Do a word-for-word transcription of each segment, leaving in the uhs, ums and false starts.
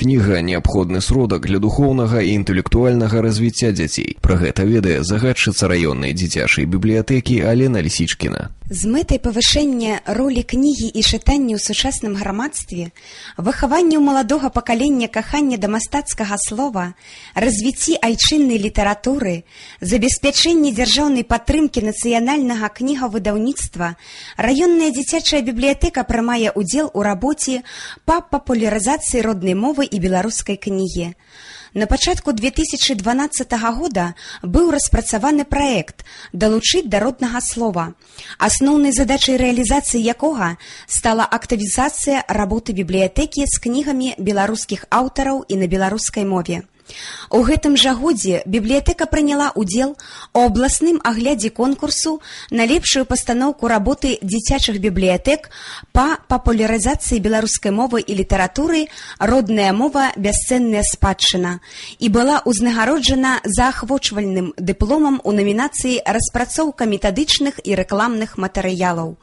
Кніга неабходны сродак для духоўнага і інтэлектуальнага развіцця дзяцей. Пра гэта ведае загадчыца раённай дзіцячай бібліятэкі Алена Лісічкіна. З мэтай павышэння ролі кнігі і чытання ў сучасным грамадстве, выхаванню маладога пакалення кахання да мастацкага слова, развіцці айчыннай літаратуры, забеспячэнні дзяржаўнай падтрымкі нацыянальнага кнігавыдаўніцтва, раённая дзіцячая бібліятэка прымае ўдзел у рабоце па папулярызацыі роднай мовы і беларускай кнігі. На пачатку две тысячы дванаццатага года быў распрацаваны праект «Далучыць да роднага слова», асноўнай задачай рэалізацыі якога стала актывізацыя работы бібліятэкі з кнігамі беларускіх аўтараў і на беларускай мове. У гэтым жа годзе бібліятэка прыняла ўдзел у абласным аглядзе конкурсу на лепшую пастаноўку работы дзіцячых бібліятэк па папулярызацыі беларускай мовы і літаратуры «Родная мова. Бясцэнная спадчына» і была ўзнагароджана заахвочвальным дыпломам у намінацыі «Распрацоўка метадычных і рэкламных матэрыялаў».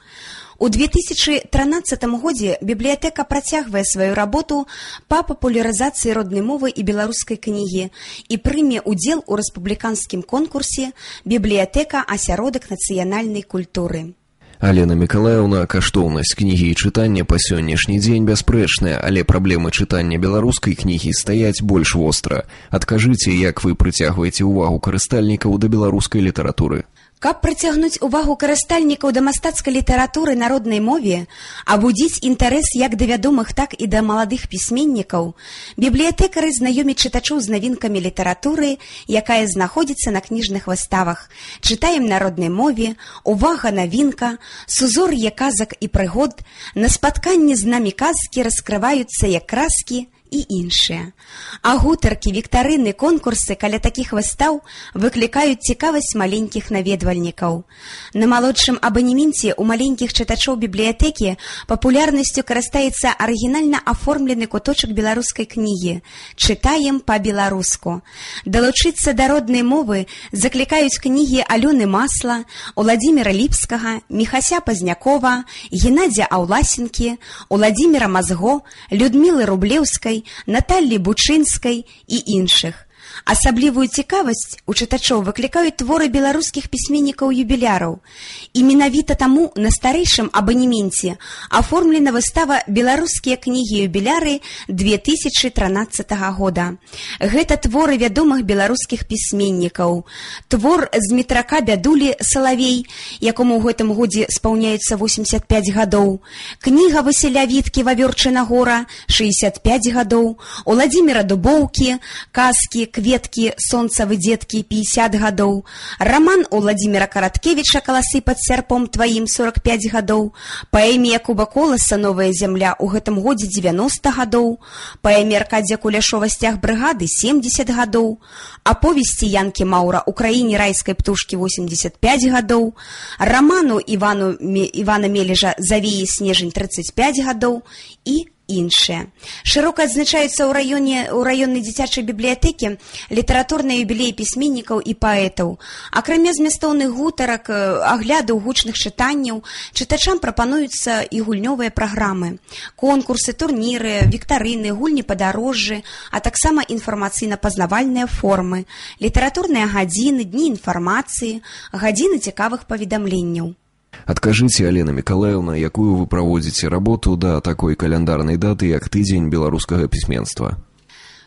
У две тысячы трынаццатым годзе бібліятэка працягвае сваю работу па папулярызацыі роднай мовы і беларускай кнігі і прыме ўдзел у рэспубліканскім конкурсе «Бібліятэка. Асяродак нацыянальнай культуры». Алена Мікалаеўна, каштоўнасць кнігі і чытання па сённяшні дзень бясспрэчная, але праблемы чытання беларускай кнігі стаяць больш востра. Адкажыце, як вы прыцягваеце ўвагу карыстальнікаў да беларускай літаратуры? Каб прыцягнуць увагу карыстальнікаў да мастацкай літаратуры на роднай мове, абудзіць інтарэс як да вядомых, так і да маладых пісьменнікаў, бібліятэкары знаёмяць чытачоў з навінкамі літаратуры, якая знаходзіцца на кніжных выставах. Чытаем на роднай мове, увага, навінка, сузор'е казак і прыгод, на спатканні з намі казкі раскрываюцца як краскі і іншыя. А гутаркі, віктарыны, конкурсы каля такіх выстаў выклікаюць цікавасць маленькіх наведвальнікаў. На малодшым абанеменце у маленькіх чытачоў бібліятэкі папулярнасцю карыстаецца арыгінальна аформлены куточак беларускай кнігі «Чытаем па-беларуску». Далучыцца да роднай мовы заклікаюць кнігі Алёны Масла, Уладзіміра Ліпскага, Міхася Пазнякова, Геннадзя Аўласенкі, Уладзіміра Мазго, Людмілы Рублеўскай, Наталлі Бучынскай і іншых. Асаблівую цікавасць у чытачоў выклікаюць творы беларускіх пісьменнікаў-юбіляраў. І менавіта таму на старэйшым абанеменце аформлена выстава «Беларускія кнігі-юбіляры» две тысячы трынаццатага года. Гэта творы вядомых беларускіх пісьменнікаў. Твор з метрака Бядулі «Салавей», якому ў гэтым годзе спаўняецца восемьдесят пять гадоў. Кніга Васіля Віткі «Вавёрчына гора» шэсцьдесят пять гадоў. Уладзіміра Дубоўкі «Казкі, кветкі, сонцавы дзеткі» пятьдесят гадоў. Раман Уладзіміра Караткевіча «Каласы пад сярпом тваім» сорок пять гадоў. Паэме Якуба Коласа «Новая зямля» у гэтым годзе девяносто гадоў. Паэме Аркадзя Куляшова «Сцяг брыгады» семьдесят гадоў. Аповесці Янкі Маўра «Украіне райскай птушкі» восемьдесят пять гадоў. Раману Івану, Івана Мележа «Завеі снежань» тридцать пять гадоў і іншыя. Шырока адзначаюцца ў раёне ў раённай дзіцячай бібліятэкі літаратурныя юбілеі пісьменнікаў і паэтаў. Акрамя змястоўных гутарак, аглядаў, гучных чытанняў, чытачам прапануюцца і гульнёвыя праграмы, конкурсы, турніры, віктарыны, гульні падарожжы, а таксама інфармацыйна-пазнавальныя формы, літаратурныя гадзіны, дні інфармацыі, гадзіны цікавых паведамленняў. Адкажыце, Алена Мікалаеўна, якую вы праводзіце работу да такой каляндарнай даты, як тыдзень беларускага пісьменства?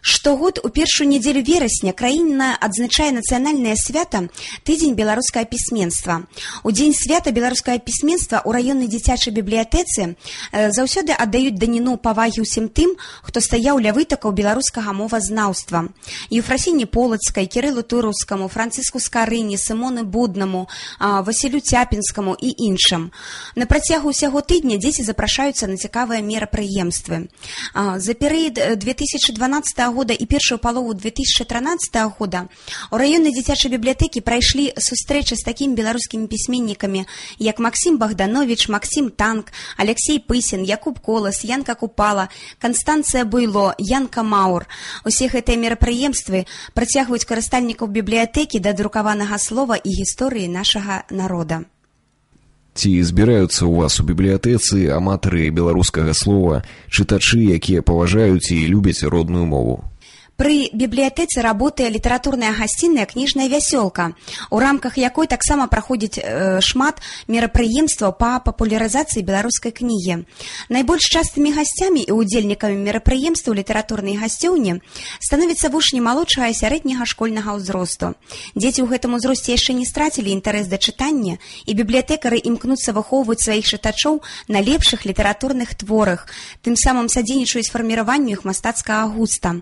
Штогод у першую нядзелю верасня краіна адзначае нацыянальнае свята тыдзень беларускага пісьменства. У дзень свята беларускага пісьменства ў раённай дзіцячай бібліятэцы заўсёды аддаюць даніну павагі ўсім тым, хто стаяў ля вытакаў беларускага мовазнаўства. Ефрасіні Полацкай, Кірылу Тураўскаму, Францыску Скарыні, Сымоны Буднаму, Васілю Цяпінскаму і іншым. На працягу ўсяго тыдня дзеці запрашаюцца на цікавыя мерапрыемствы. За перыяд две тысячы дванаццатага года і першую палову две тысячи тринадцатого года у раённай дзіцячай бібліятэкі прайшлі сустрэчы з такімі беларускімі пісьменнікамі, як Максим Богданович, Максим Танк, Алексей Пысін, Якуб Колас, Янка Купала, Канстанцыя Буйло, Янка Маур. Усе гэтыя мерапрыемствы працягваюць карыстальнікаў бібліятэкі да друкаванага слова і гісторыі нашага народа. Ці збіраюцца ў вас у бібліятэцы аматары беларускага слова, чытачы, якія паважаюць і любяць родную мову? Пры бібліятэцы работае літаратурная гасцінная кніжная вясёлка, у рамках якой таксама праходзіць э, шмат мерапрыемстваў па папулярызацыі беларускай кнігі. Найбольш частымі гасцямі і ўдзельнікамі мерапрыемстваў літаратурнай гасцёўні становяцца вучні малодшага і сярэдняга школьнага ўзросту. Дзеці ў гэтым узросце яшчэ не страцілі інтарэс да чытання, і бібліятэкары імкнуцца выхоўваць сваіх чытачоў на лепшых літаратурных творах, тым самым садзейнічаюць фарміраванню іх мастацкага густа.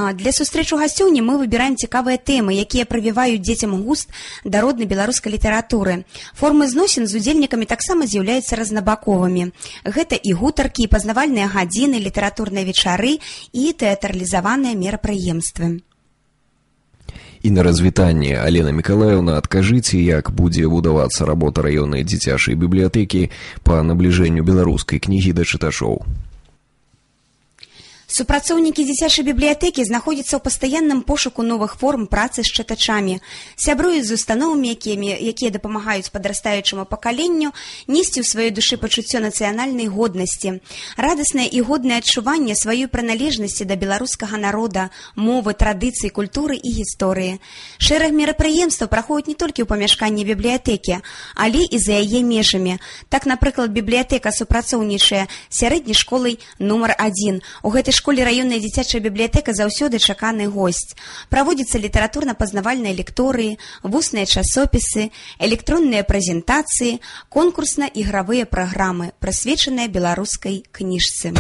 Для сустрэчу гасцёўні мы выбіраем цікавыя тэмы, якія прывіваюць дзецям густ да роднай беларускай літаратуры. Формы зносін з удзельнікамі таксама з'яўляюцца разнабаковымі. Гэта і гутаркі, і пазнавальныя гадзіны, літаратурныя вечары і тэатралізаваныя мерапрыемствы. І на развітанне, Алена Мікалаеўна, адкажыце, як будзе будавацца работа раённай дзіцячай бібліятэкі па набліжэнню беларускай кнігі да чытачоў. Супрацоўнікі дзіцячай бібліятэкі знаходзяцца ў пастаянным пошуку новых форм працы з чытачамі, сябруюць з установамі, якія, якія дапамагаюць падрастаючаму пакаленню несці ў сваёй душы пачуццё нацыянальнай годнасці, радаснае і годнае адчуванне сваёй прыналежнасці да беларускага народа, мовы, традыцый, культуры і гісторыі. Шэраг мерапрыемстваў праходзяць не толькі ў памяшканні бібліятэкі, але і за яе межамі. Так, напрыклад, бібліятэка супрацоўнічае сярэдняй школай нумар адзін. У гэтай школе раённая дзіцячая бібліятэка заўсёды чаканы госць. Праводзяцца літаратурна-пазнавальныя лекторыі, вусныя часопісы, электронныя прэзентацыі, конкурсна-ігравыя праграмы, прысвечаныя беларускай кніжцы.